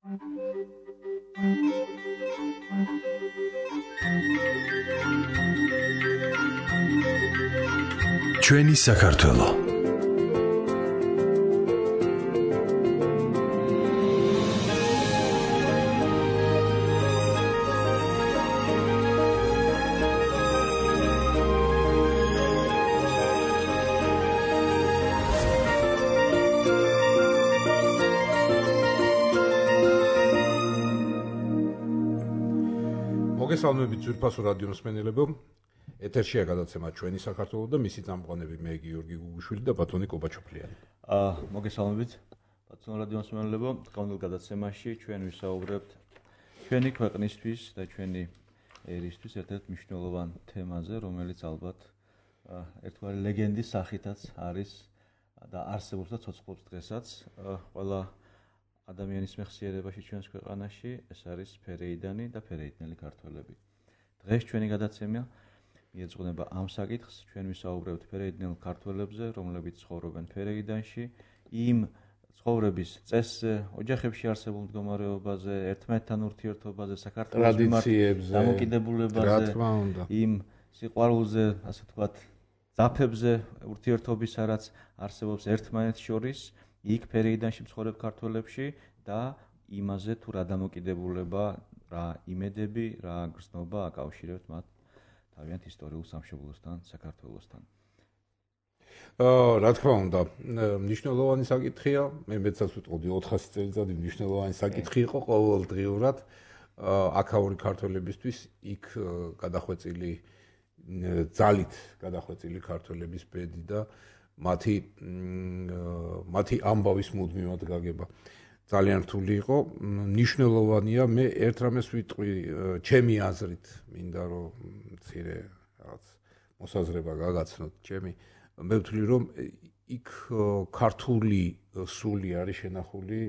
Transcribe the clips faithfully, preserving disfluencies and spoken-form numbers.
ჩვენი საქართველო. მოგესალმებით ძვირფასო რადიო მსმენელებო. ეთერშია გადაცემა ჩვენი საქართველო და მისი წამყვანები მე გიორგი გუგუშვილი და ბატონი კობაჩოფლიანი. აა მოგესალმებით ბატონო რადიო მსმენელებო, დღევანდელ გადაცემაში ჩვენ ვისაუბრებთ ჩვენი ქვეყნისთვის და ჩვენი ერისთვის ერთ-ერთ მნიშვნელოვან თემაზე, რომელიც ალბათ ერთგვარი ლეგენდის სახითაც არის და არსებობს და ცოცხლობს დღესაც. ყველა ადამიანის მეხსიერებაში ჩვენს ქვეყანაში ეს არის ფერეიდანი და ფერეიდნელი ქართველები. დღეს ჩვენი გადაცემა მიეძღვნება ამ საკითხს. ჩვენ ვისაუბრებთ ფერეიდნელ ქართველებზე, რომლებიც ცხოვრობენ ფერეიდანში, იმ ცხოვრების წესზე, ოჯახებში არსებულ მდგომარეობაზე, ერთმანეთთან ურთიერთობაზე, საქართველოს მიმართ დამოკიდებულებაზე, იმ სიყვარულზე, ასე ვთქვათ, ძაფებზე ურთიერთობის რაც არსებობს ერთმანეთს შორის, იქ ფერეიდანში მცხოვრებ ქართველებში და იმაზე თუ რა დამოკიდებულება, რა იმედები, რა გრძნობა აკავშირებთ მათ თავიანთ ისტორიულ სამშობლოსთან, საქართველოსთან. აა, რა თქმა უნდა, მნიშვნელოვანი საკითხია, მე მეცაც ვიტყოდი ოთხასი წელიწადი მნიშვნელოვანი საკითხი იყო ყოველდღიურად აქაური ქართველებისთვის, იქ გადახვეწილი ძალით გადახვეწილი ქართველების ბედი და მათი მათი ამბავის მუდმივად გაგება. ძალიან რთული იყო, მნიშვნელოვანია, მე ერთ რამეს ვიტყვი, ჩემი აზრით, მინდა რომ მცირე რაღაც მოსაზრება გაგაცნოთ ჩემი, მე ვთვლი რომ იქ ქართული სული არის შენახული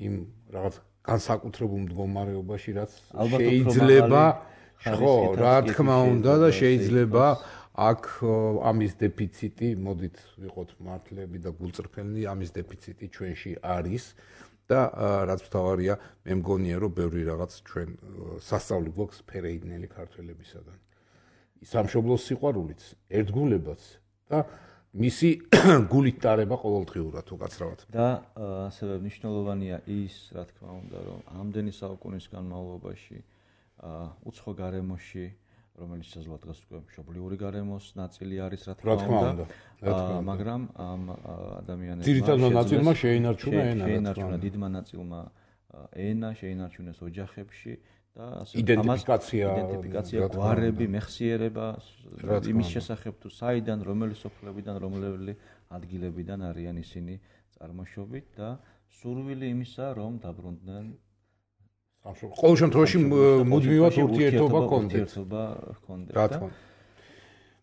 იმ რაღაც განსაკუთრებულ მდგომარეობაში, რაც შეიძლება, ხო, რა თქმა უნდა და შეიძლება აქ ამის დეფიციტი, მოდით ვიყოთ მართლები და გულწრფელნი, ამის დეფიციტი ჩვენში არის და რაც მთავარია, მე მგონია რომ ბევრი რაღაც ჩვენ სასწავლი გვაქვს ფერეიდნელი ქართველებისაგან. სამშობლოს სიყვარულიც, ერთგულებაც და მისი გულით ტარება ყოველდღიურად უკაცრავად. და ასევე მნიშვნელოვანია ის, რა თქმა უნდა, რომ ამდენი საუკუნის განმავლობაში უცხო გარემოში, რომელიც შესაძლოა დღეს უკვე მშობლიური გარემოს ნაწილი არის, რა თქმა უნდა, მაგრამ ამ ადამიანებმა ძირითადად ნაწილმა შეინარჩუნა ენა, შეინარჩუნა დიდმა ნაწილმა ენა, შეინარჩუნეს ოჯახებში და ასე იდენტიფიკაცია, იდენტიფიკაცია, გვარები, მეხსიერება იმის შესახებ თუ საიდან, რომელი სოფლებიდან, რომელი ადგილებიდან არიან ისინი წარმოშობით და სურვილი იმისა, რომ დაბრუნდნენ ყოველ შემთხვევაში მუდმივად ურთიერთობა ჰქონდეთ. რა თქმა უნდა.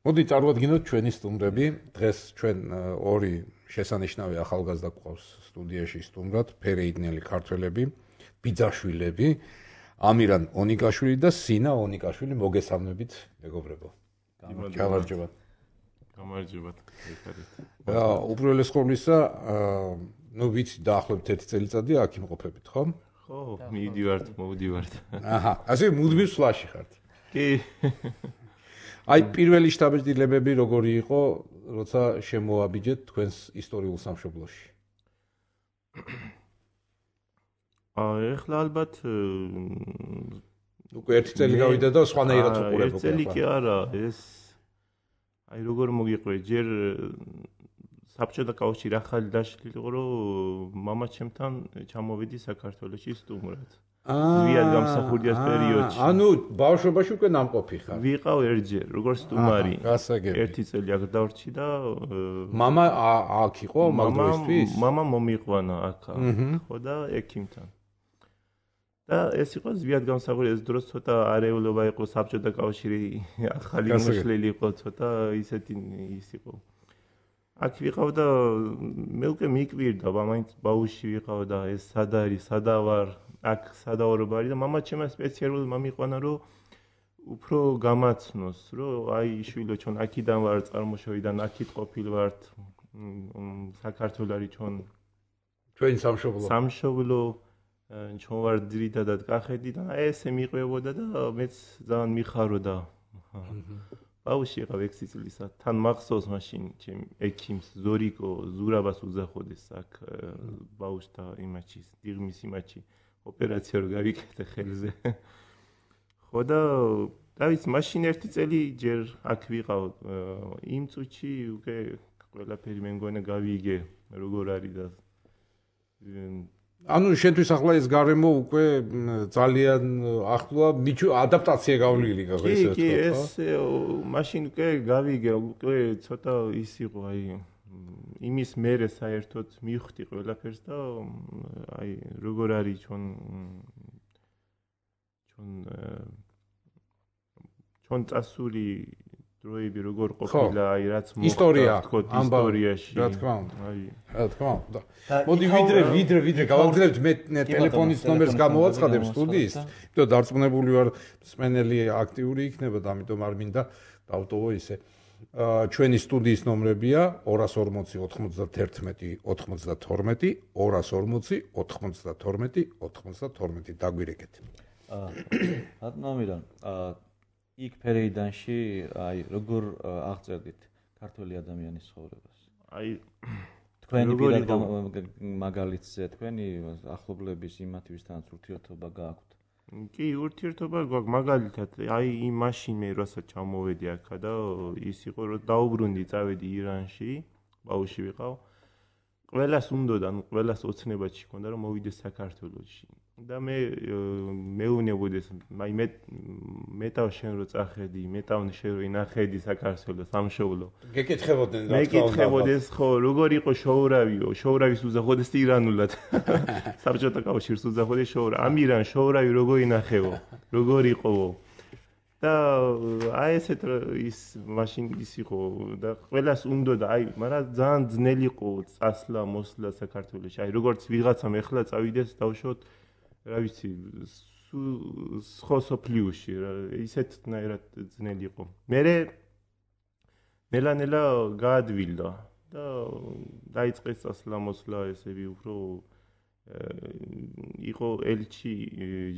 მოდი წარვადგინოთ ჩვენი სტუმრები. დღეს ჩვენ ორი შესანიშნავი ახალგაზრდა გვყავს სტუდიაში სტუმრად, ფერეიდნელი ქართველები, ბიძაშვილები, ამირან ონიკაშვილი და სინა ონიკაშვილი. მოგესალმებით, მეგობრებო. გამარჯობათ. გამარჯობათ. უპირველეს ყოვლისა, ნუ ვიცი, დაახლოებით ერთი წელიწადი აქ იმყოფებით, ხო? ხო, მივდივართ, მოვდივართ. აჰა, ასე მუდმივ სვლაში ხართ. კი. აი, პირველი შთაბეჭდილებები როგორი იყო, როცა შემოაბიჯეთ თქვენს ისტორიულ სამშობლოში? აა, ეხლა ალბათ უკვე ერთი წელი გავიდა და სხვანაირად უყურებ უკვე. ერთი წელი კი არა, ეს აი როგორ მოგიყვე, ჯერ საბჭოთა კავშირი ახალი დაშლილი იყო, რომ მამაჩემთან ჩამოვიდი საქართველოში სტუმრად. ზვიად გამსახურდიას პერიოდში. ანუ ბავშვობაში უკვე ნამყოფი ხარ. ვიყავ ერთჯერ, როგორც სტუმარი. გასაგები. ერთი წელი აქ დავრჩი და მამა აქ იყო მაგდროისთვის? მამა მომიყვანა აქ. ხო და ექიმთან. და ეს იყო ზვიად გამსახური, ეს დროს ცოტა არეულობა იყო, საბჭოთა კავშირი ახალი მოშლილი იყო, ცოტა ისეთი ის იყო. აქ ვიყავ და მე უკვე მიკვირდა, მაინც ბავშვი ვიყავ და ეს სად არის, სადა ვარ, აქ სადაორო არის და მამა ჩემმა სპეციალურად მომიყვანა, რომ უფრო გამაცნოს, რომ აი შვილო ჩვენ აქიდან ვარ წარმოშობიდან, აქით ყოფილ ვართ, საქართველოს არის ჩვენ ჩვენი სამშობლო. სამშობლო ჩვენ ვარ ძირითადად კახეთი და აი ესე მიყვებოდა და მეც ძალიან მიხაროდა. ბავშვი იყავ ექვსი წლისა. თან მახსოვს მაშინ ჩემ ექიმს ზორიკო ზურაბას უძახოდეს აქ ბავშვთა იმაჩი, დიღმის იმაჩი ოპერაცია რო გავიკეთე ხელზე. ხო და დავიც მაშინ ერთი წელი ჯერ აქ ვიყავ იმ წუთში უკვე ყველაფერი მე მგონა გავიგე როგორ არის და ანუ შენთვის ახლა ეს გარემო უკვე ძალიან ახლოა ადაპტაცია გავლილი გახდა ესე ვთქვა. კი, ეს მაშინ უკვე გავიგე, უკვე ცოტა ის იყო, აი იმის მერე საერთოდ მივხვდი ყველაფერს და აი როგორ არის ჩვენ ჩვენ ჩვენ წასული დროები როგორ ყოფილა, აი რაც მოხდა თქო ისტორიაში. რა თქმა უნდა. აი, რა თქმა უნდა. მოდი ვიდრე ვიდრე ვიდრე გავაგზავნებთ მე ტელეფონის ნომერს გამოვაცხადებ სტუდიის, იმიტომ დარწმუნებული ვარ მსმენელი აქტიური იქნება და ამიტომ არ მინდა დავტოვო ისე. ჩვენი სტუდიის ნომრებია ორას ორმოცი ოთხმოცდათერთმეტი ოცდათორმეტი ორას ორმოცი ოთხმოცდათორმეტი ოცდათორმეტი დაგვირეკეთ. აა რატომიდან აა იქ ფერეიდანში აი როგორ აღწერდით ქართველი ადამიანის ცხოვრებას? აი თქვენი პირად მაგალითზე თქვენი ახლობლების იმათვისთან ურთიერთობა გააქვთ? კი, ურთიერთობა გვაქვს მაგალითად, აი იმ მაშინ მე როცა ჩამოვედი აქა და ის იყო რომ დაუბრუნდი წავედი ირანში, ბავშვი ვიყავ. ყველას უნდოდა, ნუ ყველას ოცნებაში ჰქონდა რომ მოვიდეს საქართველოში. და მე მეუნებოდეს, აი მე მეტავ შენ რო წახედი, მეტავ შენ რო ინახედი საქართველოს სამშობლო. გეკითხებოდნენ რა თქმა უნდა. მეკითხებოდეს ხო, როგორ იყო შოურავიო, შოურავის უზახოდეს ირანულად. საბჭოთა კავშირს უზახოდეს შოურავი. ამ ირან შოურავი როგორ ინახეო, როგორ იყოო. და აი ესეთ ის მაშინ ის იყო და ყველას უნდოდა, აი, მაგრამ ძალიან ძნელი იყო წასვლა, მოსვლა საქართველოში. აი როგორც ვიღაცამ ეხლა წავიდეს დავშოთ რა ვიცი, სხვა სოფლიოში, ისეთნაირად ძნელი იყო. მერე ნელა-ნელა გაადვილდა და დაიწყეს წასვლა-მოსვლა ესები უფრო იყო ელჩი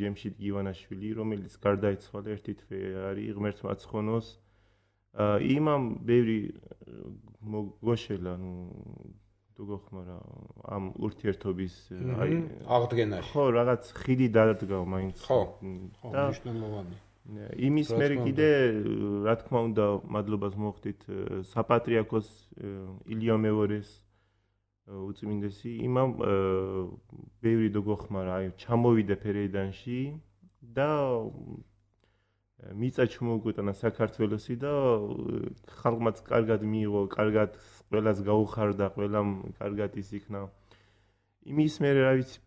ჯემშიდ გივანაშვილი, რომელიც გარდაიცვალა ერთი თვე არის ღმერთმა აცხონოს. იმამ ბევრი მოგოშელა, ნუ გოხმარა ამ ურთიერთობის აი აღდგენაში. ხო, რაღაც ხიდი დადგა მაინც. ხო, ხო, მნიშვნელოვანი. იმის მერე კიდე რა თქმა უნდა მადლობას მოხდით საპატრიარქოს ილიო მეორეს უწმინდესი იმამ ბევრი დოგოხმარა, აი ჩამოვიდა ფერეიდანში და მიწა ჩმოუკვიტანა საქართველოსი და ხალხმაც კარგად მიიღო, კარგად ყველას გაუხარდა, ყველამ კარგად ის იქნა. იმის მერე რა ვიცი,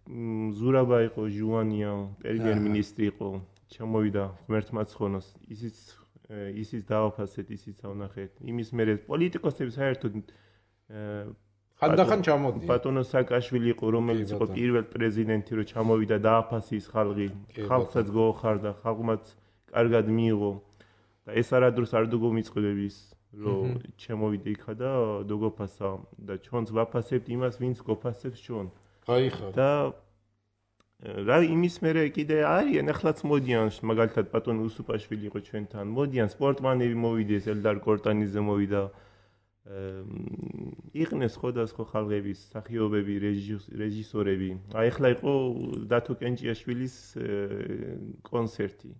ზურაბა იყო, ჟუანია, პრემიერ-მინისტრი იყო, ჩამოვიდა ღმერთმა აცხონოს, ისიც ისიც დააფასეთ, ისიც ავნახეთ. იმის მერე პოლიტიკოსები საერთოდ ხანდახან ჩამოდიან. ბატონო სააკაშვილი იყო, რომელიც იყო პირველ პრეზიდენტი, რომ ჩამოვიდა დააფასის ხალხი, ხალხსაც გაუხარდა, ხალხმაც კარგად მიიღო და ეს არადროს არ დაგომიწყვდების რომ ჩემოვიდა იქა და დაგოფასა და ჩვენც ვაფასებთ იმას, ვინც გოფასებს ჩვენ. გაიხარა. და რა იმის მერე კიდე არიან, ახლაც მოდიან, მაგალითად ბატონო უსუპაშვილი იყო ჩვენთან, მოდიან სპორტმანები მოვიდეს, ელდარ კორტანიძე მოვიდა. იყვნენ სხვადასხვა ხალხების მსახიობები, რეჟისორები. აი ახლა იყო დათო კენჭიაშვილის კონცერტი.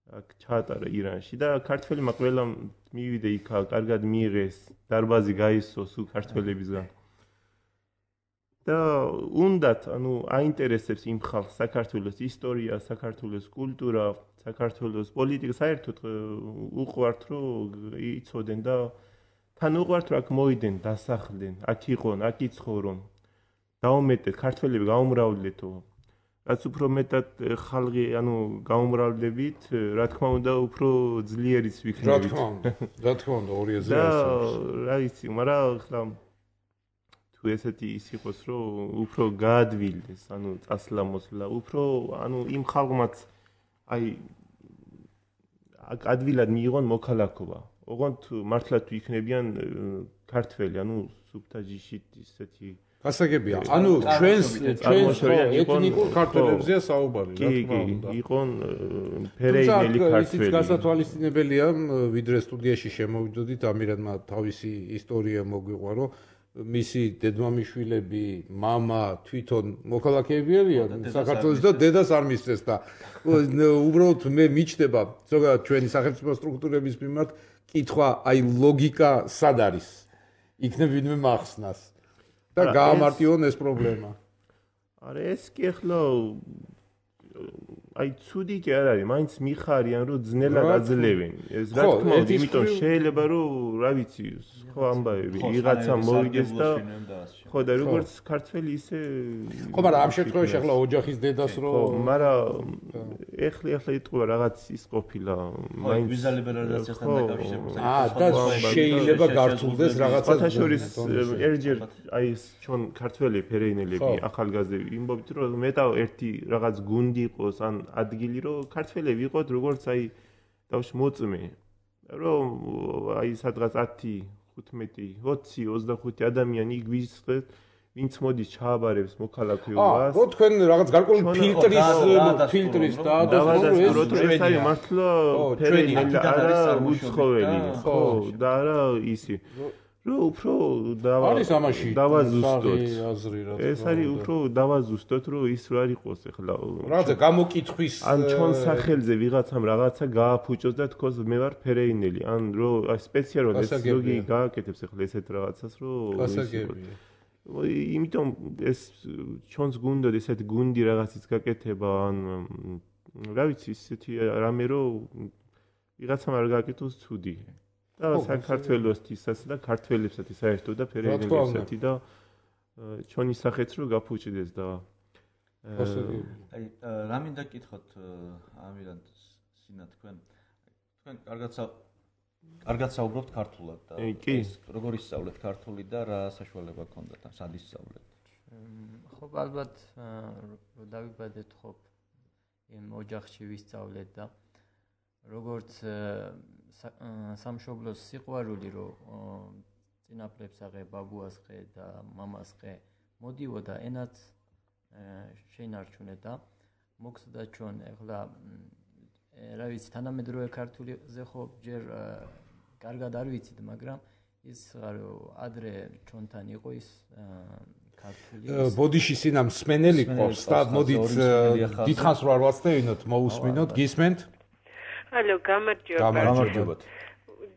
აქ ჩაატარა ირანში და ქართველებმა ყველამ მივიდა იქა, კარგად მიიღეს, დარბაზი გაისო სულ ქართველებისგან. და უნდათ, ანუ აინტერესებს იმ ხალხს საქართველოს ისტორია, საქართველოს კულტურა, საქართველოს პოლიტიკა, საერთოდ უყვართ რომ იცოდნენ და თან უყვართ რომ აქ მოვიდნენ, დასახლდნენ, აქ იყვნენ, აქ იცხოვრონ. დაუმეტეთ, ქართველები გაუმრავლდეთო. რაც უფრო მეტად ხალხი, ანუ გაუმრავლდებით, რა თქმა უნდა, უფრო ძლიერიც ვიქნებით. რა თქმა უნდა, რა თქმა უნდა, ორი ეზრი არსებობს. რა ვიცი, მაგრამ ხლა თუ ესეთი ის იყოს, რომ უფრო გაადვილდეს, ანუ წასვლა-მოსვლა, უფრო, ანუ იმ ხალხმაც აი ადვილად მიიღონ მოქალაქობა. ოღონდ მართლა თუ იქნებიან ქართველი, ანუ სუფთა ჯიშით ისეთი გასაგებია. ანუ ჩვენს ჩვენს ეთნიკურ ქართველებზეა საუბარი, რა თქმა უნდა. კი, იყონ ფერეინელი ქართველი. ისიც გასათვალისწინებელია, ვიდრე სტუდიაში შემოვიდოდით, ამირანმა თავისი ისტორია მოგვიყვა, რომ მისი დედმამიშვილები, მამა თვითონ მოქალაქეები არიან საქართველოს და დედას არ მისცეს და უბრალოდ მე მიჩნდება ზოგადად ჩვენი სახელმწიფო სტრუქტურების მიმართ კითხვა, აი ლოგიკა სად არის? იქნებ ვინმე მახსნას და გაამარტივონ ეს პრობლემა. არა ეს კი ახლა აი ცუდი კი არ არის, მაინც მიხარიან რომ ძნელად აძლევენ. ეს რა თქმა უნდა, იმიტომ შეიძლება რომ რა ვიცი, ხო ამბავები, ვიღაცა მოვიდეს და ხო და როგორც ქართველი ისე ხო, მაგრამ ამ შემთხვევაში ახლა ოჯახის დედას რო მაგრამ ეხლა ეხლა იტყვა რაღაც ის ყოფილა, მაინც ვიზა ლიბერალიზაციასთან დაკავშირებით. აა და შეიძლება გართულდეს რაღაცა. ფათაშორის ერჯერ აი ეს ჩვენ ქართველი ფერეინელები ახალგაზრდები იმბობთ რომ მეტა ერთი რაღაც გუნდი იყოს ან ადგილი რომ ქართველები იყოთ როგორც აი დავში მოწმე რომ აი სადღაც ათი ხუთმეტი ოცი ოცდახუთი ადამიანი იქ ვისხეთ ვინც მოდის ჩააბარებს მოქალაქეობას. აა, რო თქვენ რაღაც გარკვეული ფილტრის ფილტრის დაადასტუროთ, რომ ეს არის მართლა ფერეინელი არა უცხოელი, ხო, და არა ისი. რო უფრო დავაზუსტოთ. ეს არის უფრო დავაზუსტოთ, რომ ის რა იყოს ახლა. რაღაცა გამოკითხვის ან ჩვენ სახელზე ვიღაცამ რაღაცა გააფუჭოს და თქოს მე ვარ ფერეინელი, ან რო სპეციალურად ეს ზოგი გააკეთებს ახლა ესეთ რაღაცას, რომ გასაგებია. იმიტომ ეს ჩვენს გუნდად ესეთ გუნდი რაღაცის გაკეთება ან რა ვიცი ისეთი რამე რომ ვიღაცამ არ გააკეთოს ცუდი. და საქართველოსთვისაც და ქართველებსაც საერთოდ და ფერეინელებსაც და ჩვენი სახეც რო გაფუჭდეს და აი რა მინდა გკითხოთ ამირან სინა თქვენ თქვენ კარგად კარგად საუბრობთ ქართულად და ეს როგორ ისწავლეთ ქართული და რა საშუალება გქონდათ ამ სად ისწავლეთ? ხო ალბათ რომ დავიბადეთ ხო იმ ოჯახში ვისწავლეთ და როგორც სამშობლოს სიყვარული რომ წინაპრებს აღე ბაბუას ხე და მამას ხე მოდიოდა ენაც შეინარჩუნე და მოგხსნა ჩვენ ახლა რა ვიცი თანამედროვე ქართულიზე ხო ჯერ კარგად არ ვიცით მაგრამ ის რომ ადრე ჩვენთან იყო ის ქართული ბოდიში სინა მსმენელი ყავს და მოდით დიდხანს რო არ ვაცდევინოთ მოусმინოთ გისმენთ ალო გამარჯობა გამარჯობათ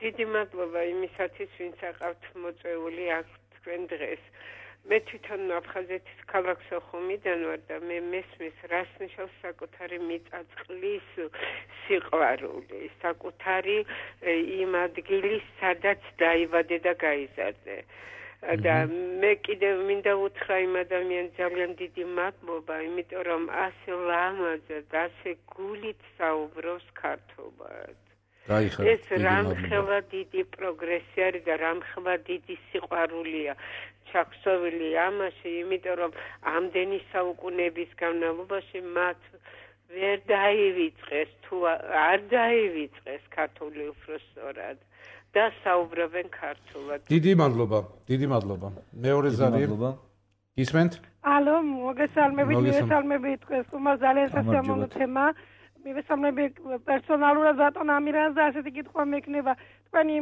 დიდი მადლობა იმისათვის ვინც აყავთ მოწვეული აქ თქვენ დღეს მე თვითონ აფხაზეთის ქალაქ სოხუმიდან ვარ და მე მესმის რას ნიშნავს საკუთარი მიწა-წყლის სიყვარული საკუთარი იმ ადგილის სადაც დაიბადე და გაიზარდე და მე კიდევ მინდა უთხრა იმ ადამიანს ძალიან დიდი მადლობა იმიტომ რომ ასე ლამაზად ასე გულით საუბრობს ქართულად ეს რამხელა დიდი პროგრესი არის და რამხელა დიდი სიყვარულია ჩახსოვილი ამაში იმიტომ რომ ამდენი საუკუნეების განმავლობაში მათ ვერ დაივიწყეს თუ არ დაივიწყეს ქართული უბრალოდ და საუბრობენ ქართულად. დიდი მადლობა, დიდი მადლობა. მეორე ზარი. გისმენთ? ალო, მოგესალმებით, მოგესალმებით დღეს თუმცა ძალიან სასიამოვნო თემა. მივესალმები პერსონალურად ბატონ ამირანს და ასეთი კითხვა მექნება თქვენი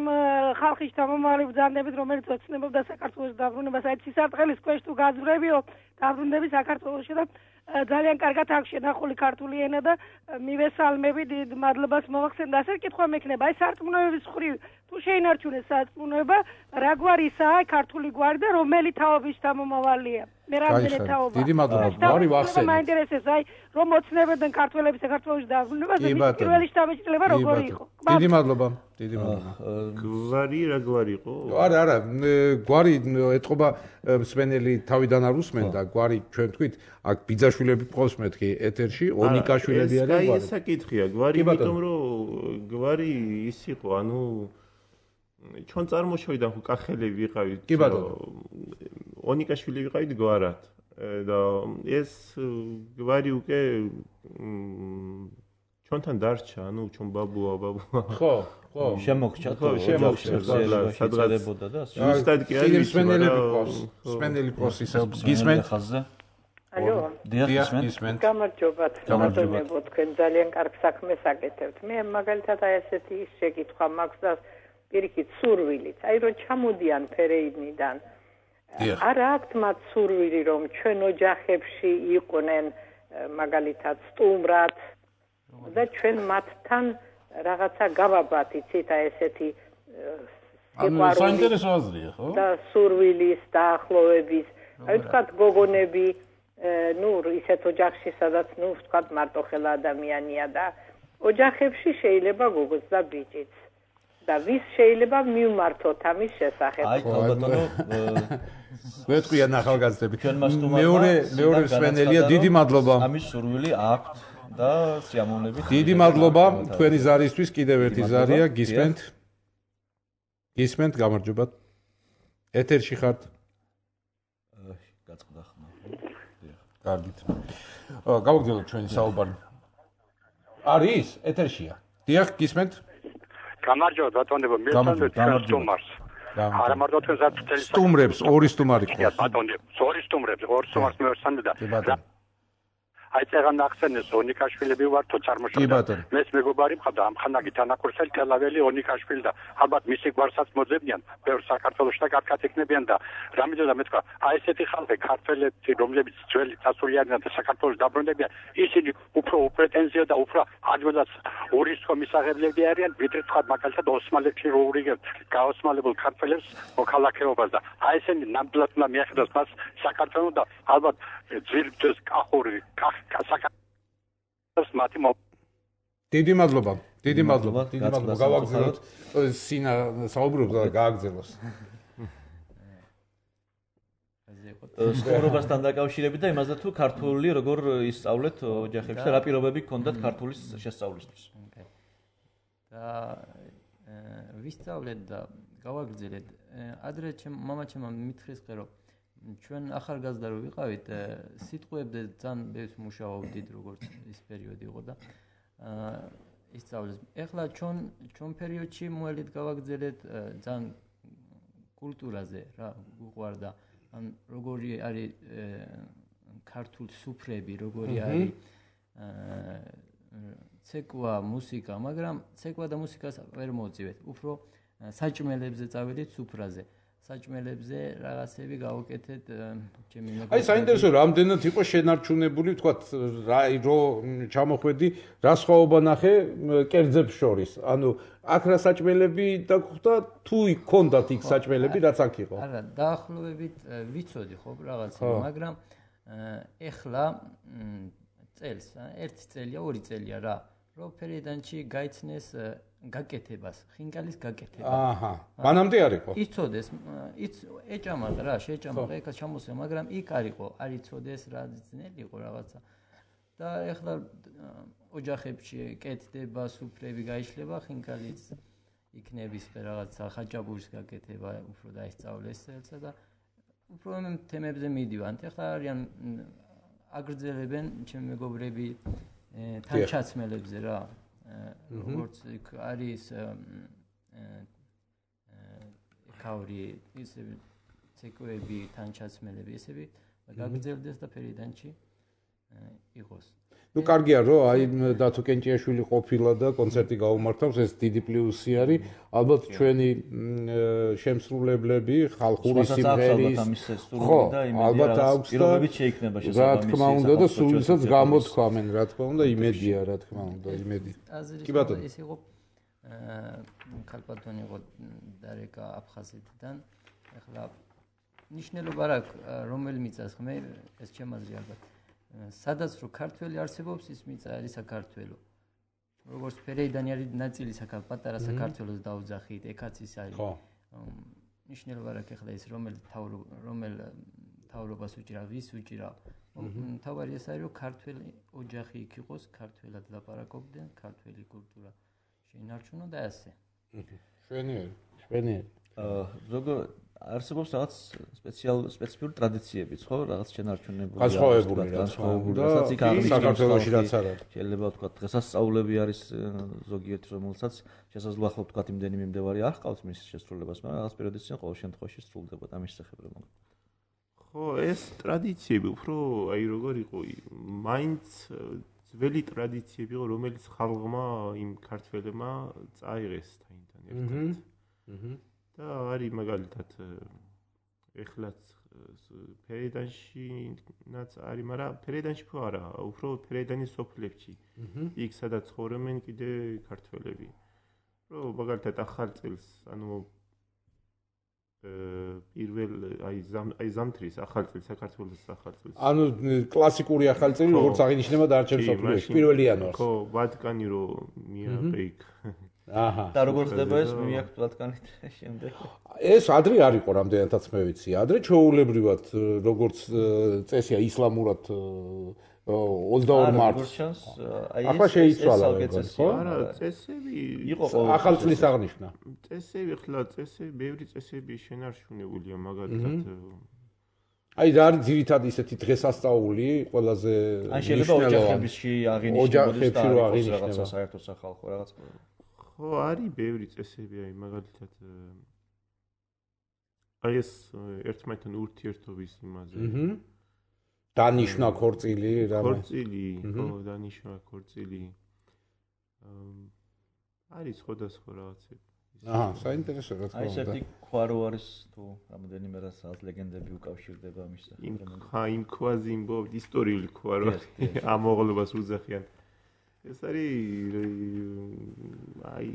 ხალხის დამომავალი ბრძანდებით რომელიც ოცნებობდა საქართველოს დაბრუნებას აი სისარტყელის ქვეშ თუ გაძვრებიო დაბრუნდები საქართველოში და ძალიან კარგად აქვს შენახული ქართული ენა და მივესალმები დიდ მადლობას მოახსენდა ასეთი კითხვა მექნება აი სარწმუნოების მხრივ თუ შეინარჩუნეს სარწმუნოება რა გვარისაა ქართული გვარი და რომელი თაობის დამომავალია მე რამდენი თაობა დიდი მადლობა გვარი ვახსენეთ მაინტერესებს აი რომ ოცნებდნენ ქართველები საქართველოში დაბრუნებას და მის პირველი შთაბეჭდილება როგორი იყო დიდი მადლობა დიდი მადლობა გვარი რა გვარი იყო არა არა გვარი ეთყობა მსმენელი თავიდან არ უსმენდა გვარი ჩვენ თქვით აქ ბიძაშვილები ყავს მეთქი ეთერში ონიკაშვილები არის გვარი ეს საკითხია გვარი იმიტომ რომ გვარი ის იყო ანუ ჩვენ წარმოშობიდან ხო კახელები ვიყავით კი ბატონო ონიკაშვილი ვიყავით გვარად და ეს გვარი უკვე ჩვენთან დარჩა, ანუ ჩვენ ბაბუა, ბაბუა. ხო, ხო. შემოგჭა თუ შემოგჭა, სადღაცებოდა და ზუსტად კი არის, სპენელები ყავს, სპენელი ყავს ისე გისმენთ ხაზზე. ალო, დიახ, გისმენთ. გამარჯობათ, ბატონებო, თქვენ ძალიან კარგ საქმეს აკეთებთ. მე მაგალითად აი ესეთი ის შეკითხვა მაქვს და პირიქით სურვილით, აი რომ ჩამოდიან ფერეიდნიდან. არა აქვთ მათ სურვილი რომ ჩვენ ოჯახებში იყვნენ მაგალითად სტუმრად და ჩვენ მათთან რაღაცა გავაბათ, იცით, აი ესეთი ანუ საინტერესო აზრია, ხო? და სურვილის დაახლოების, აი ვთქვათ გოგონები, ნუ ისეთ ოჯახში, სადაც ნუ ვთქვათ მარტოხელა ადამიანია და ოჯახებში შეიძლება გოგოც და ბიჭიც. და ვის შეიძლება მივმართოთ ამის შესახებ? აი, ბატონო, გვეტყვიან ახალგაზრდები. მეორე მეორე სვენელია, დიდი მადლობა. ამის სურვილი აქვთ და სიამოვნებით. დიდი მადლობა თქვენი ზარისთვის, კიდევ ერთი ზარია, გისმენთ. გისმენთ, გამარჯობათ. ეთერში ხართ. გაწყდა ხმა. კარგით. გავაგრძელოთ ჩვენი საუბარი. არის? ეთერშია. დიახ, გისმენთ. გამარჯობა ბატონებო, მე თვითონ სტუმარს. არა მარტო თქვენ ზარწუთელი სტუმრებს, ორი სტუმარი ყავს. ბატონებო, ორი სტუმრებს, ორი სტუმარს მე ვსანდა. აი წეგან ახსენეს ონიკაშვილები ვართო წარმოშობა. მეც მეგობარი მყავდა ამხანაგი თანაკურსელი თელაველი ონიკაშვილი და ალბათ მისი გვარსაც მოძებნიან, ბევრ საქართველოში და კარგად იქნებიან და რამედა მე თქვა, აი ესეთი ხალხი ქართველები, რომლებიც ძველი წასულიანიდან და საქართველოს დაბრუნებიან, ისინი უფრო უპრეტენზიო და უფრო ადვილად ურისკო მისაღებლები არიან, ვიდრე თქვა მაგალითად ოსმალეთში რო ურიგებთ გაოსმალებულ ქართველებს მოქალაქეობას და აი ესენი ნამდვილად უნდა მიახედოს მას საქართველოს და ალბათ ძვირფას კახური დიდი მადლობა, დიდი მადლობა, დიდი მადლობა. გავაგზავნოთ სინა საუბრობს და გააგზავნოს. სტუმრობასთან დაკავშირებით და იმასთან თუ ქართული როგორ ისწავლეთ ოჯახებში და რა პირობები გქონდათ ქართულის შესწავლისთვის. და ვისწავლეთ და გავაგრძელეთ. ადრე ჩემ მამაჩემმა მითხრეს ხე რომ ჩვენ ახალგაზრდა რო ვიყავით, სიტყვებზე ძალიან ბევრს მუშაობდით, როგორც ის პერიოდი იყო და ისწავლეს. ეხლა ჩვენ ჩვენ პერიოდში მოელით გავაგრძელეთ ძალიან კულტურაზე რა გვყვარდა. ან როგორი არის ქართულ სუფრები, როგორი არის ცეკვა, მუსიკა, მაგრამ ცეკვა და მუსიკას ვერ მოვწივეთ. უფრო საჭმელებზე წავედით სუფრაზე. საჭმელებზე რაღაცები გავაკეთეთ ჩემი მეგობრებთან. აი საინტერესო რამდენად იყო შენარჩუნებული, ვთქვათ, რა რო ჩამოხვედი, რა სხვაობა ნახე კერძებს შორის. ანუ აქ რა საჭმელები დაგხვდა, თუ იქონდათ იქ საჭმელები, რაც აქ იყო. არა, დაახლოებით ვიცოდი ხო რაღაცები, მაგრამ ეხლა წელს, ერთი წელია, ორი წელია რა, რომ ფერიდანში გაიცნეს გაკეთებას, ხინკალის გაკეთება. აჰა. მანამდე არ იყო. იცოდეს, ეჭამაყ რა, შეჭამაყ, ეხა ჩამოსვლა, მაგრამ იქ არ იყო, არ იცოდეს რა ძნელი იყო რაღაცა. და ეხლა ოჯახებში კეთდება, სუფრები გაიშლება, ხინკალის იქნების რაღაცა ხაჭაპურის გაკეთება, უფრო დაისწავლეს წელსა და უფრო ამ თემებზე მიდივანთ. ეხლა არიან აგრძელებენ ჩემი მეგობრები თანჩაცმელებზე რა. როგორც არის ქაური ისე ცეკვები, თანჩაცმელები, ესები გაგრძელდეს და ფერიდანში იყოს. ნუ კარგია რომ აი დათო კენჭიაშვილი ყოფილა და კონცერტი გაუმართავს, ეს დიდი პლუსი არის. ალბათ ჩვენი შემსრულებლები ხალხური სიმღერის ხო, ალბათ აქვს და რა თქმა უნდა და სულსაც გამოთქვამენ, რა თქმა უნდა, იმედია, რა თქმა უნდა, იმედი. კი ბატონო. ეს იყო ქალბატონი იყო დარეკა აფხაზეთიდან. ეხლა ნიშნულობა რა რომელი მიწას ხმე ეს ჩემაზრი ალბათ. სადაც რო ქართველი არსებობს, ის მიწა არის საქართველო. როგორც ფერეიდანი არის ნაწილი საქართველოს, პატარა საქართველოს დაუძახით, ეკაც ის არის. ხო. ნიშნულობა რა ეხლა ის რომელი რომელ თავრობას უჭირა, ვის უჭირა. თავარი ეს არის რომ ქართველი ოჯახი იქ იყოს, ქართველად ლაპარაკობდნენ, ქართველი კულტურა შეინარჩუნო და ასე. შვენიერი, შვენიერი. ზოგადად არსებობს რაღაც სპეციალ სპეციფიკური ტრადიციებიც, ხო? რაღაც შენარჩუნებული, განსხვავებული, განსხვავებული, რასაც იქ აღნიშნავს საქართველოში რაც არ არის. შეიძლება ვთქვათ, დღესასწაულები არის ზოგიერთი, რომელსაც შესაძლოა ხო ვთქვათ, იმდენი მიმდევარი არ ჰყავს მის შესრულებას, მაგრამ რაღაც პერიოდის წინ ყოველ შემთხვევაში სრულდება ამის შესახებ რომ. ხო, ეს ტრადიციები უფრო აი როგორ იყო, მაინც ძველი ტრადიციები იყო, რომელიც ხალხმა იმ ქართველებმა წაიღეს თაინთან ერთად. აჰა. და არის მაგალითად ეხლაც ფერედანშიც არის, მაგრამ ფერედანში ხო არა, უფრო ფერედანის სოფლებში. იქ სადაც ცხოვრობენ კიდე ქართველები. რომ მაგალითად ახალ წელს, ანუ პირველ აი ზამ აი ზამთრის ახალ წელს საქართველოს ახალ წელს. ანუ კლასიკური ახალ წელი როგორც აღინიშნება დარჩენ სოფლებში პირველ იანვარს. ხო, ვატიკანი რო მიაღწია იქ. აჰა. და როგორც ხდება ეს მიაქვთ ვატიკანით შემდეგ. ეს ადრე არ იყო რამდენადაც მე ვიცი. ადრე ჩვეულებრივად როგორც წესია ისლამურად ოცდაორი მარტს. ახლა შეიცვალა როგორც ხო? არა, წესები იყო ახალ წლის აღნიშვნა. წესები ხლა წესები, ბევრი წესები შენარჩუნებულია მაგალითად. აი და არის ძირითადად ისეთი დღესასწაული ყველაზე ან შეიძლება ოჯახებში აღინიშნებოდეს და არის რაღაცა საერთო სახალხო რაღაც. ხო, არის ბევრი წესები, აი მაგალითად აი ეს ერთმანეთთან ურთიერთობის იმაზე. აჰა. დანიშნა ქორწილი, რა ქორწილი, ხო, დანიშნა ქორწილი. არის სხვადასხვა რაღაცები. აჰა, საინტერესო რა თქმა უნდა. აი ეს ერთი ქვა რო არის თუ რამოდენიმე რასაც ლეგენდები უკავშირდება ამის შესახებ. ხა იმ ქვაზე იმბო ისტორიული ქვა რო ამოღლებას უძახიან. ეს არის აი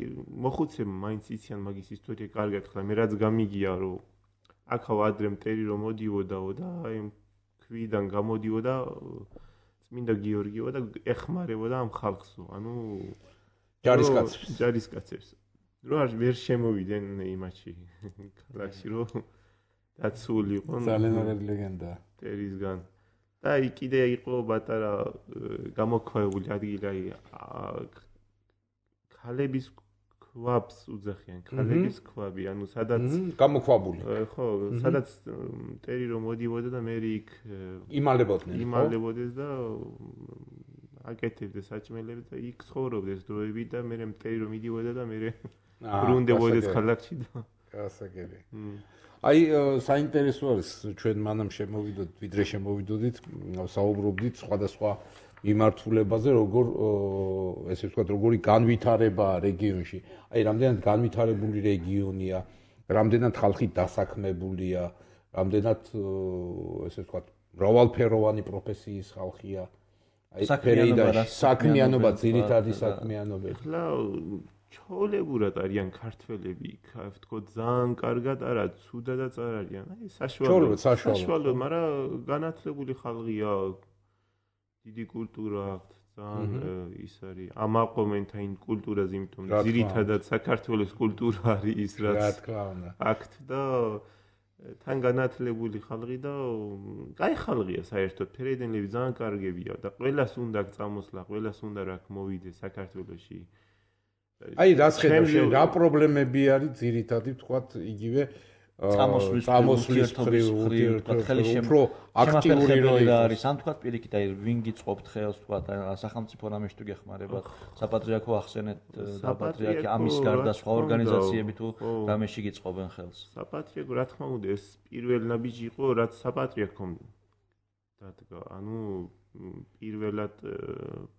მოხუცემ მაინც იციან მაგის ისტორია კარგად ხლა მე რაც გამიგია რომ აქაო ადრე მტერი რომ მოდიოდაო და აი ქვიდან გამოდიოდა წმინდა გიორგიო და ეხმარებოდა ამ ხალხსო ანუ ჯარისკაცებს ჯარისკაცებს რო არ ვერ შემოვიდნენ იმაში ქალაქში რომ დაცული იყო ძალიან მაგარი ლეგენდაა მტერისგან და იქ კიდე იყო პატარა გამოქვეული ადგილი აი ქალების ქვაბს უძახიან ქალების ქვაბი ანუ სადაც გამოქვაბული ხო სადაც მტერი რომ მოდიოდა და მე იქ იმალებოდნენ იმალებოდეს და აკეთებდეს საჭმელებს და იქ ცხოვრობდეს დროებით და მე მტერი რომ მიდიოდა და მე ბრუნდებოდეს ქალაქში და გასაგები აი საინტერესო არის ჩვენ მანამ შემოვიდოდით ვიდრე შემოვიდოდით საუბრობდით სხვადასხვა მიმართულებაზე როგორ ესე ვთქვათ როგორი განვითარება რეგიონში აი რამდენად განვითარებული რეგიონია რამდენად ხალხი დასაქმებულია რამდენად ესე ვთქვათ მრავალფეროვანი პროფესიის ხალხია აი ფერეიდაში საქმიანობა ძირითადი საქმიანობა ახლა ჩოლებურად არიან ქართველები, ვთქო ძალიან კარგად არა, ცუდადაც არ არიან. აი საშუალო, საშუალო, მაგრამ განათლებული ხალხია, დიდი კულტურა აქვს, ძალიან ის არის. ამაყობენ თან კულტურაზე, იმიტომ რომ ძირითადად საქართველოს კულტურა არის ის, რაც აქვთ და თან განათლებული ხალხი და კაი ხალხია საერთოდ, ფერედენლები ძალიან კარგებია და ყველას უნდა წამოსვლა, ყველას უნდა რა მოვიდეს საქართველოში. აი რას ხედავ შენ რა პრობლემები არის ძირითადი ვთქვათ იგივე წამოსვლის მხრივ ხელი უფრო აქტიური როლი არის ან ვთქვათ პირიქით აი ვინ გიწყობთ ხელს ვთქვათ სახელმწიფო რამეში თუ გეხმარებათ საპატრიარქო ახსენეთ და პატრიარქი ამის გარდა სხვა ორგანიზაციები თუ რამეში გიწყობენ ხელს საპატრიარქო რა თქმა უნდა ეს პირველ ნაბიჯი იყო რაც საპატრიარქომ დადგა ანუ პირველად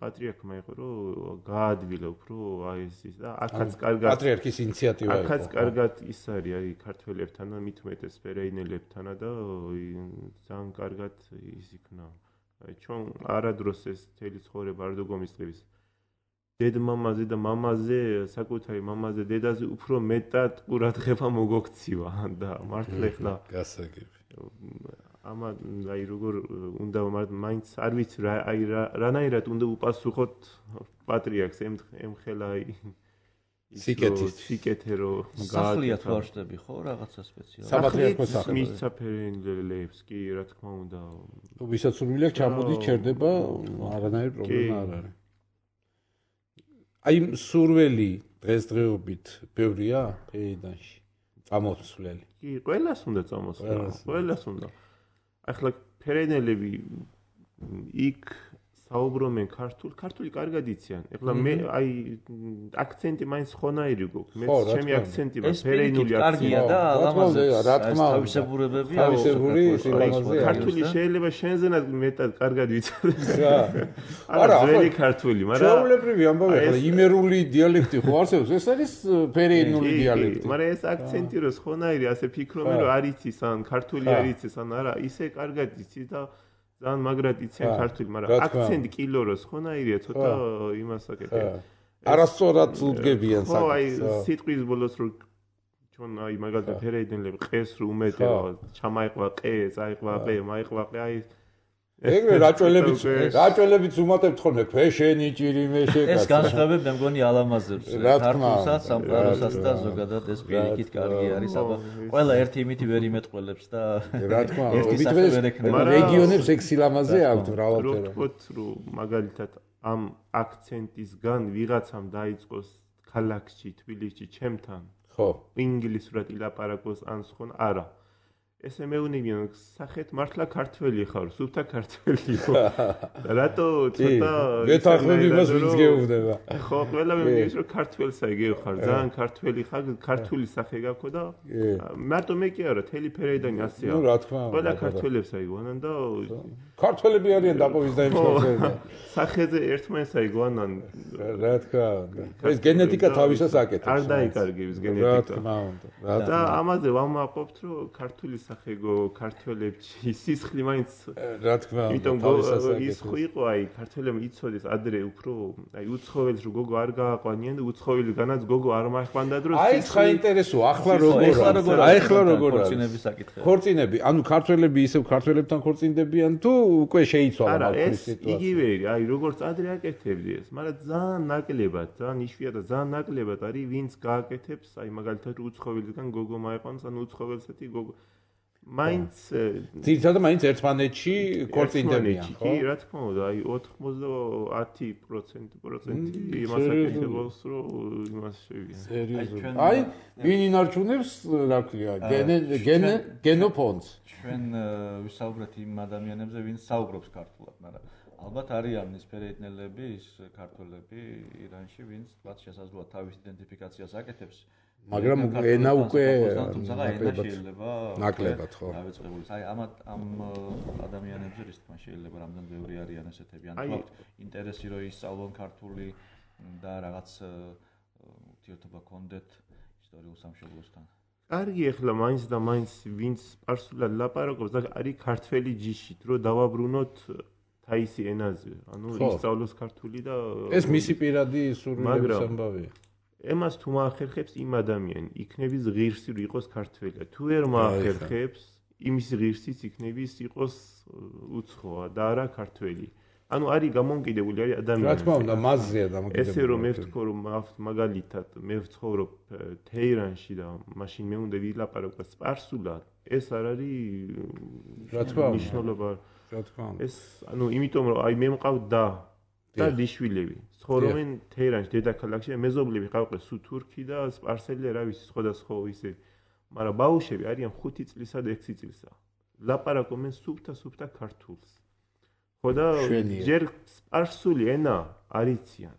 პატრიარქმა იყო რომ გაადვილა უფრო აი ეს ის და აქაც კარგად პატრიარქის ინიციატივა იყო აქაც კარგად ის არის აი ქართველებთან და მithumetes ფერეინელებთან და ძალიან კარგად ის იქნა აი ჩვენ არადროს ეს თელი ცხოვრება არ დაგომისწრებს დედმამაზე და მამაზე საკუთარი მამაზე დედაზე უფრო მეტად ყურადღება მოგოქცივა და მართლა ახლა გასაგები ამა აი როგორ უნდა მაინც არ ვიცი რა აი რანაირად უნდა უპასუხოთ პატრიარქს ემხელა აი სიკეთის სიკეთე რო სახლია თუ არ შტები ხო რაღაცა სპეციალური საპატრიარქო სახლი მისცა ფერენლებს კი რა თქმა უნდა ვისაც სურვილი აქვს ჩამოდის ჩერდება არანაირი პრობლემა არ არის აი სურველი დღესდღეობით ბევრია ფერეიდანში წამოსვლელი. კი, ყველას უნდა წამოსვლა. ყველას უნდა. ახლა ფერენელები იქ საუბრობენ ქართულ, ქართული კარგად იციან. ეხლა მე აი აქცენტი მაინც ხონაირი გვაქვს. მე ჩემი აქცენტი ფერენული აქცენტია და ლამაზე რა თქმა უნდა თავისებურებები თავისებური სილამაზე ქართული შეიძლება შენზენად მეტად კარგად ვიცოდეს. რა. არა, ძველი ქართული, მაგრამ ჩვეულებრივი ამბავი ახლა იმერული დიალექტი ხო არსებობს? ეს არის ფერენული დიალექტი. მაგრამ ეს აქცენტი რო ხონაირი ასე ფიქრობენ რომ არ იცის ან ქართული არ იცის ან არა, ისე კარგად იცის და ძალიან მაგრად იციან ქართული, მაგრამ აქცენტი კილოროს ხონაირია ცოტა იმას აკეთებ. არასწორად უდგებიან საკითხს. ხო, აი სიტყვის ბოლოს რო ჩვენ აი მაგალითად ფერეიდნელები ყეს რო უმეტება, ჩამაიყვა ყე, წაიყვა ყე, მაიყვა ყე, აი ეგრე რაჭველებიც რაჭველებიც უმატებთ ხოლმე ქვეშენი ჭირიმე შეკაცო. ეს განსხვავებები მე მგონი ალამაზებს ქართულსაც, სამყაროსაც და ზოგადად ეს პირიქით კარგი არის, აბა ყველა ერთი იმითი ვერ იმეტყველებს და რა თქმა უნდა რეგიონებს ეგ სილამაზე აქვს მრავალფეროვანი. რო ვთქვათ რომ მაგალითად ამ აქცენტისგან ვიღაცამ დაიწყოს ქალაქში, თბილისში, ჩემთან ხო ინგლისურად ილაპარაკოს ან სხვა არა. ესე მეუნებიან სახეთ მართლა ქართველი ხარ, სუფთა ქართველი ხო? რატო ცოტა გეთახმები მას ვინც გეუბნება. ხო, ყველა მეუბნებს რომ ქართველსა იგივე ხარ, ძალიან ქართველი ხარ, ქართული სახე გაქვს და მარტო მე კი არა, თელი ფერეიდანი ასეა. ნუ რა თქმა უნდა. ყველა ქართველებსა იგონან და ქართველები არიან დაპოვის და იმსახურება. სახეზე ერთმანეთსა იგონან. რა თქმა უნდა. ეს გენეტიკა თავისას აკეთებს. არ დაიკარგებს გენეტიკა. რა თქმა უნდა. და ამაზე ვამაყობთ რომ ქართული ხეგო ქართველებში სისხლი მაინც რა თქმა უნდა იმიტომ ის ხო იყო აი ქართველებმა იცოდეს ადრე უფრო აი უცხოველს რო გოგო არ გააყვანიან და უცხოველგანაც გოგო არ მახვანდა დრო აი ხა ინტერესოა ახლა როგორ აი ახლა როგორ ქორწინების საკითხი ქორწინები ანუ ქართველები ისევ ქართველებთან ქორწინდებიან თუ უკვე შეიცვალა მაგის სიტუაცია იგივე აი როგორც ადრე აკეთებდი ეს მაგრამ ძალიან ნაკლებად ძალიან იშვიათად ძალიან ნაკლებად არის ვინც გააკეთებს აი მაგალითად უცხოველგან გოგო მაიყვანს ან უცხოველსეთი გოგო მაინც ძირითადად მაინც ერთმანეთში ქორწინდებიან ხო? კი, რა თქმა უნდა, აი ოცდაათი პროცენტი იმას აკეთებს, რომ იმას შევიან. აი, ვინ ინარჩუნებს, რა ქვია, გენოფონდს. ჩვენ ვისაუბრეთ იმ ადამიანებზე, ვინც საუბრობს ქართულად, მაგრამ ალბათ არიან ის ფერეიდნელები, ის ქართველები ირანში, ვინც თქვათ შესაძლოა თავის იდენტიფიკაციას აკეთებს. მაგრამ ენა უკვე თუმცა ენა შეიძლება ნაკლებად ხო დავიწყებული. აი ამ ამ ადამიანებზე რის თქმა შეიძლება რამდენ ბევრი არიან ესეთები. ან თქვა ინტერესი რო ისწავლონ ქართული და რაღაც ურთიერთობა კონდეთ ისტორიულ სამშობლოსთან. კარგი ახლა მაინც და მაინც ვინც სპარსულად ლაპარაკობს და არის ქართველი ჯიშით რო დავაბრუნოთ თაისი ენაზე. ანუ ისწავლოს ქართული და ეს მისი პირადი სურვილების ამბავია. ემას თუ მაახერხებს იმ ადამიანი იქნების ღირსი რო იყოს ქართველია თუ ვერ მაახერხებს იმის ღირსიც იქნების იყოს უცხოა და არა ქართველი ანუ არის გამონკიდებული არის ადამიანი რა თქმა უნდა მასზეა დამოკიდებული ესე რომ მე ვთქო რომ მაგალითად მე ვცხოვრობ თეირანში და მაშინ მე უნდა ვილაპარაკო სპარსულად ეს არ არის რა თქმა უნდა ნიშნულობა რა თქმა უნდა ეს ანუ იმიტომ რომ აი მე მყავ და და დიშვილები ცხოვრობენ თეირანში დედაქალაქში და მეზობლები ყავყენ სუ თურქი და სპარსელი რა ვიცი სხვადასხვა ისე მაგრამ ბაუშები არიან ხუთი წლისა და ექვსი წლისა ლაპარაკობენ სუფთა სუფთა ქართულს ხო და ჯერ სპარსული ენა არ იციან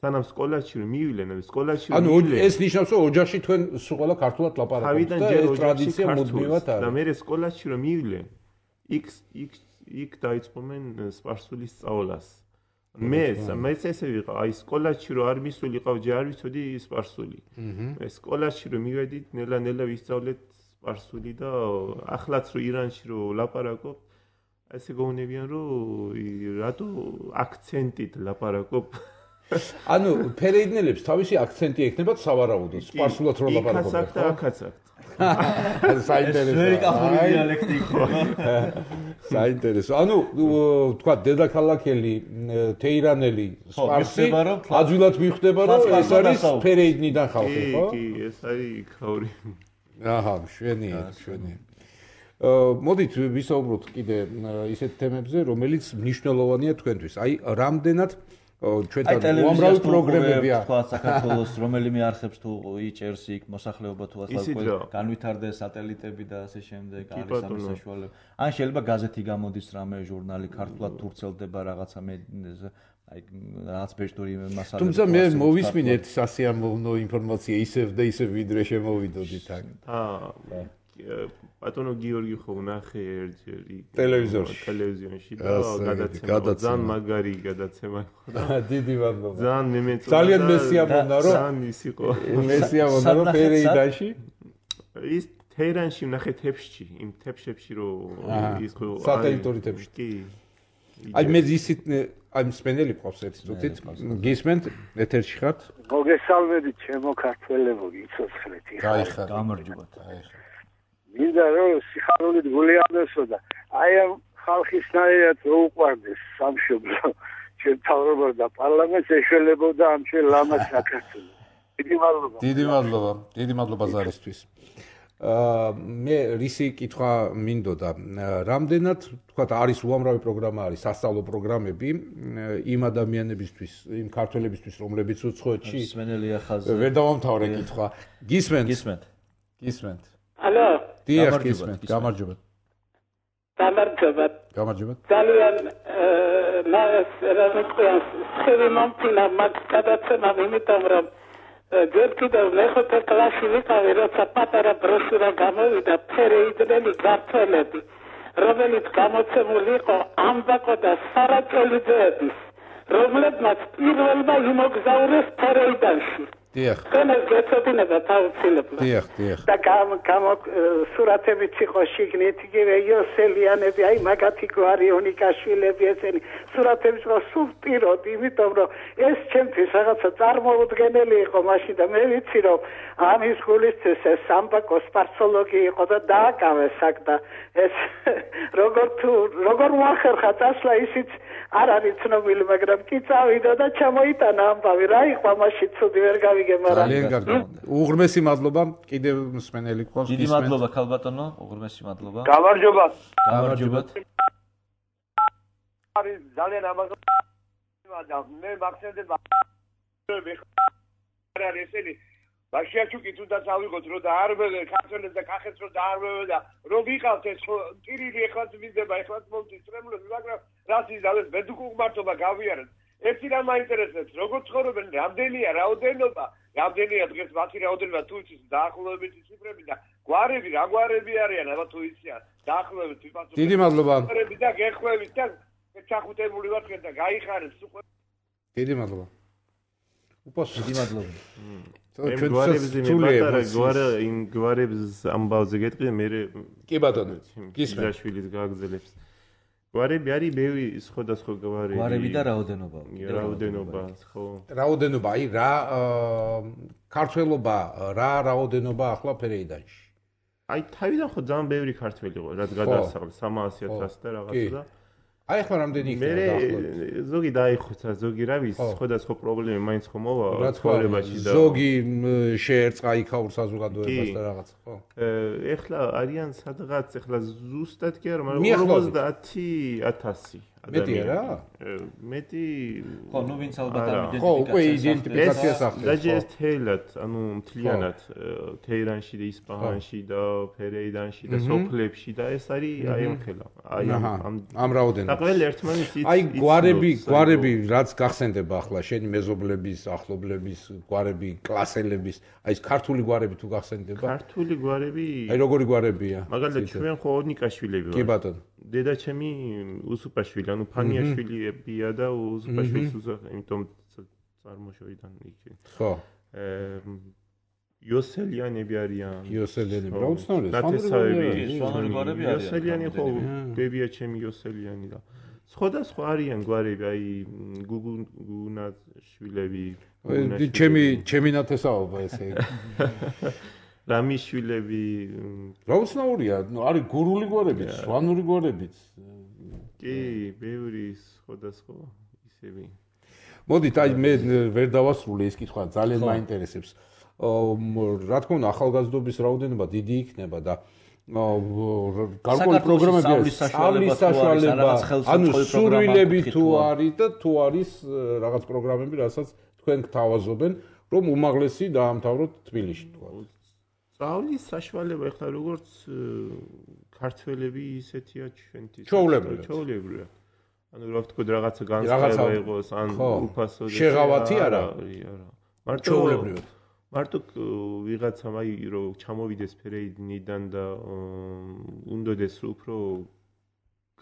სანამ სკოლაში რომ მივიდნენ სკოლაში რომ ანუ ეს ნიშნავს რომ ოჯახში თქვენ სულ ყველა ქართულად ლაპარაკობთ და ეს ტრადიცია მუდმივად არის და მე სკოლაში რომ მივიდნენ იქ იქ იქ დაიწყომენ სპარსულის სწავლას მე მეც ესე ვიყავ აი სკოლაში რომ არ მისულიყავ ჯერ არ ვიცოდი სპარსული მე სკოლაში რომ მივედით ნელა ნელა ვისწავლეთ სპარსული და ახლაც რომ ირანში რომ ლაპარაკობ ესე გონებიან რომ რატო აქცენტით ლაპარაკობ ანუ ფერეიდნელებს თავისი აქცენტი ექნებათ სავარაუდოდ სპარსულად რო ლაპარაკობენ იქაც და აქაც საინტერესო ვერი კახური დიალექტი საინტერესო ანუ თქვა დედაქალაქელი თეირანელი სპარსი აძვილად მიხვდება რომ ეს არის ფერეიდნიდან ხალხი ხო კი კი ეს არის ქაური აჰა შვენია შვენია მოდით ვისაუბროთ კიდე ისეთ თემებზე რომელიც მნიშვნელოვანია თქვენთვის აი რამდენად ჩვენთან უამრავი პროგრამებია. თქვა საქართველოს რომელიმე არხებს თუ იჭერს იქ მოსახლეობა თუ ახლა განვითარდეს სატელიტები და ასე შემდეგ არის ამის საშუალება. ან შეიძლება გაზეთი გამოდის რამე ჟურნალი ქართულად თუ ვრცელდება რაღაცა მე აი რაღაც ბეჭდური მასალა. თუმცა მე მოვისმინეთ სასიამოვნო ინფორმაცია ისევ და ისევ ვიდრე შემოვიდოდით აქ. აა ბატონო გიორგი ხო ნახე ერთჯერ ტელევიზორში ტელევიზიონში და გადაცემა ძალიან მაგარი გადაცემა იყო და დიდი მადლობა ძალიან მე მეწონა ძალიან მესიამოვნა რომ ძალიან ის იყო მესიამოვნა რომ ფერეიდანში ის თეირანში ნახე თეფშში იმ თეფშებში რომ ის ხო სატელიტური თეფში კი აი მე ისიც აი მსმენელი ყავს ერთ წუთით გისმენთ ეთერში ხართ მოგესალმებით ჩემო ქართველებო გიცოცხლეთ იხა გამარჯობა აი მინდა რომ სიხარულით გული ამესო და აი ამ ხალხისნაირად რო უყვარდეს სამშობლო ჩვენ თავრობა და პარლამენტს ეშველებოდა ამ ჩვენ ლამაზ საქართველოს დიდი მადლობა დიდი მადლობა დიდი მადლობა ზარისთვის აა მე რისი კითხვა მინდოდა რამდენად თქვა არის უამრავი პროგრამა არის სასწავლო პროგრამები იმ ადამიანებისთვის იმ ქართველებისთვის რომლებიც უცხოეთში მსმენელია ხაზზე ვერ დავამთავრე კითხვა გისმენთ გისმენთ გისმენთ ალო დიახ გისმენთ გამარჯობა გამარჯობა გამარჯობა ძალიან მას რა ვიყავს ხელი მომწინა მაგ გადაცემა იმიტომ რომ ჯერ კიდევ მეხუთე კლასში ვიყავი როცა პატარა ბროშურა გამოვიდა ფერეიდნელი ქართველები რომელიც გამოცემული იყო ამბაკო და სარაჭოლიძეების რომლებმაც პირველმა იმოგზაურეს ფერეიდანში დიახ ეს გეცოდინება თავისუფლად დიახ დიახ და გამ გამ სურათებიც იყო შიგნით იგივე იოსელიანები აი მაგათი გვარი ონიკაშვილები ესენი სურათებიც იყო სუბტიროდ იმიტომ რომ ეს ჩემთვის რაღაცა წარმოუდგენელი იყო მაშინ და მე ვიცი რომ ამის გულისთვის ეს სამბაკო სპარცოლოგი იყო და დააკავეს აქ და ეს როგორ თუ როგორ მოახერხა წასვლა ისიც არ არის ცნობილი მაგრამ კი წავიდა და ჩამოიტანა ამბავი რა იყო მაშინ ცუდი ვერ გავიგე მაგრამ ძალიან კარგი უღრმესი მადლობა კიდევ მსმენელი ყავს დიდი მადლობა ქალბატონო უღრმესი მადლობა გამარჯობა გამარჯობა არის ძალიან ამაზო მე მახსენდება არ ესენი ბაშიაჩუკი თუნდაც ავიღოთ რომ და არ ქართველებს და კახეთს რომ დაარღვევენ და რომ ვიყავთ ეს ტირილი ეხლაც ვიზდება ეხლაც მომწი წრემლები მაგრამ რას იზავეს მედიკუმართობა გავიარეთ ერთი რამ მაინტერესებს როგორ ცხოვრობენ რამდენია რაოდენობა რამდენია დღეს მათი რაოდენობა თუ იცის დაახლოებითი ციფრები და გვარები რა გვარები არიან აბა თუ იციან დაახლოებით ვიფასო დიდი მადლობა გვარები და გეხვევით და ჩახუტებული ვართ და გაიხარებს უკვე დიდი მადლობა უპასო დიდი მადლობა ჩვენ გვარებს იმედა გვარ იმ გვარებს ამბავზე გეტყვი მე კი ბატონო გისმენთ გაშვილის გააგზელებს გვარები არის ბევრი სხვადასხვა გვარი გვარები და რაოდენობა რაოდენობა ხო რაოდენობა აი რა ქართველობა რა რაოდენობა ახლა ფერეიდანში აი თავიდან ხო ძალიან ბევრი ქართველი იყო რაც გადაასახლა სამასი ათასი და რაღაცა და აი ახლა რამდენი იქნება დაახლოებით მე ზოგი დაიხოცა ზოგი რა ვის სხვადასხვა პრობლემა მაინც ხომ მოვა ცხოვრებაში და ზოგი შეერწყა იქაურ საზოგადოებას და რაღაც ხო ეხლა არიან სადღაც ეხლა ზუსტად კი არა მაგრამ ორმოცდაათი ათასი მეტია რა მეტი ხო ნუ ვინც ალბათ ამ იდენტიფიკაციას ხო უკვე იდენტიფიკაციას ახდენს დაჯერეთ თეილად ანუ მთლიანად თეირანში და ისპაჰანში და ფერეიდანში და სოფლებში და ეს არის აი ამ ხელა აი ამ ამ რაოდენობა და ყველა ერთმანეთს აი გვარები გვარები რაც გახსენდება ახლა შენი მეზობლების ახლობლების გვარები კლასელების აი ეს ქართული გვარები თუ გახსენდება ქართული გვარები აი როგორი გვარებია მაგალითად ჩვენ ხო ონიკაშვილები ვართ კი ბატონო დედაჩემი უსუპაშვილი ანუ ფანიაშვილია და უსუპაშვილის უზახ იმიტომ წარმოშობიდან იქ ხო იოსელიანები არიან იოსელიანები რა უცნაური ნათესავები სვანური გვარები არიან იოსელიანი ხო ბებია ჩემი იოსელიანი და სხვადასხვა არიან გვარები აი გუგუნაშვილები ჩემი ჩემი ნათესაობა ესე რამიშვილები რა უცნაურია არის გურული გვარებიც სვანური გვარებიც კი ბევრი სხვადასხვა ისევი მოდით აი მე ვერ დავასრულე ეს კითხვა ძალიან მაინტერესებს რა თქმა უნდა ახალგაზრდობის რაოდენობა დიდი იქნება და გარკვეული პროგრამები სწავლის საშუალება, ანუ სურვილები თუ არის და თუ არის რაღაც პროგრამები, რასაც თქვენ გთავაზობენ, რომ უმაღლესი დაამთავროთ თბილისში თქვა. სწავლის საშუალება ეხლა როგორც ქართველები ისეთია ჩვენთვის. ჩვეულებრივად. ჩვეულებრივად. ანუ რა ვთქვი რაღაცა განსხვავება იყოს ან უფასო შეღავათი არა. არა. მარტო ჩვეულებრივად. მარტო ვიღაცამ აი რომ ჩამოვიდეს ფერეიდნიდან და უნდადეს უფრო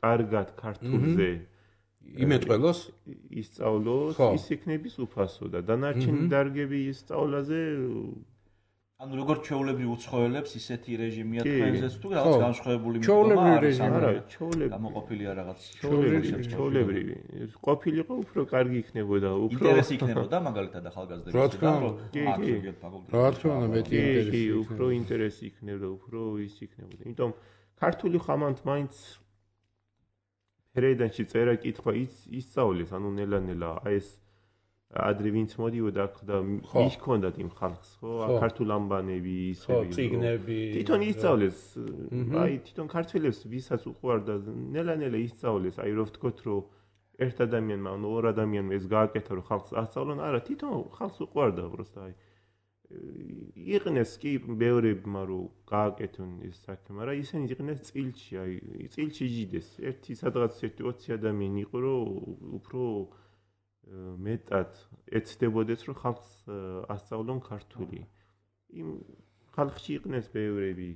კარგად ქართულზე იმეთყველოს ისწავლოს, ის იქნების უფასო და დანარჩენი დარგები ისწავლაზე ანუ როგორც ჩვეულებრივ უცხოელებს ისეთი რეჟიმია თქვენზეც თუ რაღაც განსხვავებული მიდგომა არის არა ჩვეულებრივ გამოყოფილია რაღაც ჩვეულებრივი ყოფილიყო უფრო კარგი იქნებოდა უფრო ინტერესი იქნებოდა მაგალითად ახალგაზრდების და რომ აქტიურად ფაკულტეტში რა თქმა უნდა მეტი ინტერესი უფრო ინტერესი იქნებოდა უფრო ის იქნებოდა იმიტომ ქართული ხამანთ მაინც ფერეიდანში წერა კითხვა ისწავლეს ანუ ნელა-ნელა აი ეს ადრე ვინც მოდიოდა და მიხონდათ იმ ხალხს ხო ქართულ ამბანები ისები წიგნები თვითონ ისწავლეს აი თვითონ ქართველებს ვისაც უყვარდა ნელა-ნელა ისწავლეს აი რო ვთქვათ რომ ერთ ადამიანმა ანუ ორ ადამიანმა ეს გააკეთა რომ ხალხს ასწავლონ არა თვითონ ხალხს უყვარდა просто აი იყნეს კი ბევრებმა რომ გააკეთონ ეს საქმე მაგრამ ისინი იყნეს წილში აი წილში იჯდეს ერთი სადღაც ერთი ოცი ადამიანი იყო რომ უფრო მეტად ეცდებოდეს რომ ხალხს ასწავლონ ქართული. იმ ხალხში იყნეს ბევრები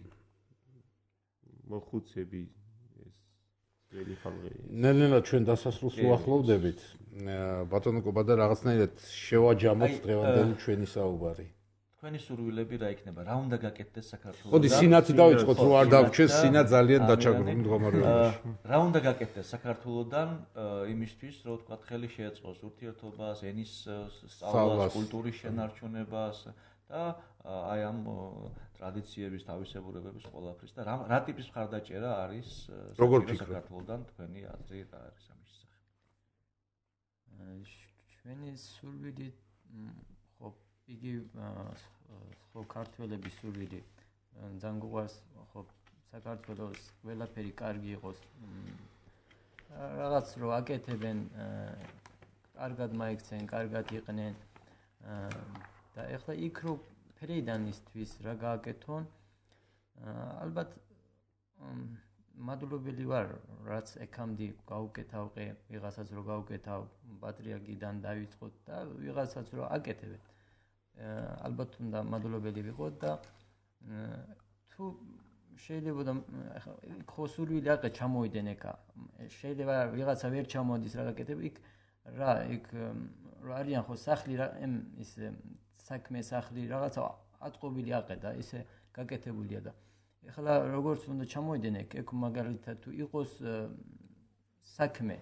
მოხუცები ეს ძველი ხალხი. ნელ-ნელა ჩვენ დასასრულს უახლოვდებით. ბატონო კობადა რაღაცნაირად შევაჯამოთ დღევანდელი ჩვენი საუბარი. თქვენი სურვილები რა იქნება? რა უნდა გაკეთდეს საქართველოსთან? მოდი სინათი დავიწყოთ, რომ არ დავჩეს სინა ძალიან დაჩაგრული მდგომარეობაში. რა უნდა გაკეთდეს საქართველოსთან იმისთვის, რომ თქვა ხელი შეეწყოს ურთიერთობას, ენის სწავლას, კულტურის შენარჩუნებას და აი ამ ტრადიციების თავისებურებების ყველაფრის და რა ტიპის მხარდაჭერა არის საქართველოსთან თქვენი აზრი რა არის ამის შესახებ? ჩვენი სურვილი ხო იგი ხო ქართველების სურვილი ძალიან გვყავს ხო საქართველოს ყველაფერი კარგი იყოს რაღაც რო აკეთებენ კარგად მაიქცენ კარგად იყნენ და ეხლა იქ რო ფერეიდანისთვის რა გააკეთონ ალბათ მადლობელი ვარ რაც ეკამდე გავუკეთავყე ვიღაცას რო გავუკეთავ პატრიარქიდან დავიწყოთ და ვიღაცას რო აკეთებენ ალბათ უნდა მადლობელი ვიყოთ და თუ შეიძლება და ხო სურვილი აყე ჩამოვიდნენ ეკა შეიძლება ვიღაცა ვერ ჩამოდის რა გაკეთებ იქ რა იქ რა არიან ხო სახლი რა ის საქმე სახლი რაღაცა ატყობილი აყე და ისე გაკეთებულია და ეხლა როგორც უნდა ჩამოვიდნენ ეკ ეკ მაგალითად თუ იყოს საქმე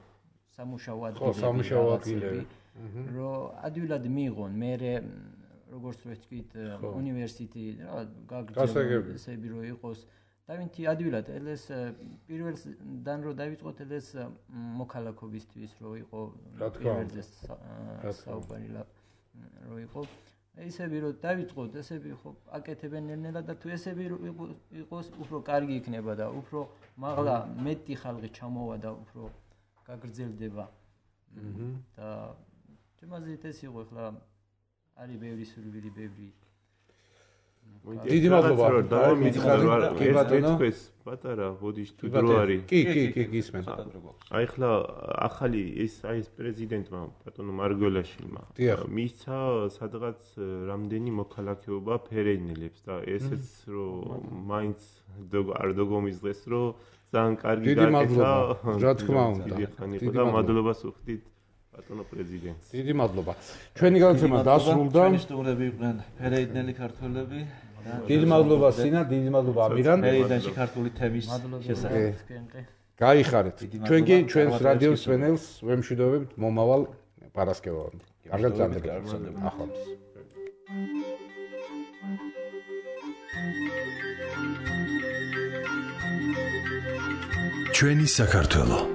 სამუშაო ადგილები რომ ადვილად მიიღონ მე როგორც ვთქვით უნივერსიტეტი რა გაგრძელებული რო იყოს დავინთი ადვილად ელეს პირველდან რო დავიწყოთ ელეს მოქალაქობისთვის რო იყო პირველზე საუბარი რო იყო ესები რო დავიწყოთ ესები ხო აკეთებენ ნელ-ნელა და თუ ესები რო იყოს უფრო კარგი იქნება და უფრო მაღლა მეტი ხალხი ჩამოვა და უფრო გაგრძელდება და თემაზით ეს იყო ახლა არის ბევრი სურვილი ბევრი დიდი მადლობა და მითხარით პატარა ბოდიშ თუ დრო არის კი კი კი გისმენ აი ხლა ახალი ეს აი ეს პრეზიდენტმა ბატონო მარგველაშვილმა მისცა სადღაც რამდენი მოქალაქეობა ფერეიდნელებს და ესეც რომ მაინც არ დოგომიზღეს რომ ძალიან კარგი გაკეთა რა თქმა უნდა და მადლობას ვხდით ბატონო პრეზიდენტს დიდი მადლობა ჩვენი გადაცემა დასრულდა ჩვენი სტუმრები იყვნენ ფერეიდნელი ქართველები დიდი მადლობა სინა დიდი მადლობა ამირან ფერეიდანში ქართული თემის შესახებ გაიხარეთ ჩვენ კი ჩვენს რადიოს სვენელს ვემშვიდობებთ მომავალ პარასკევამდე კარგად გრძანდებოდეთ ახლავს ჩვენი საქართველო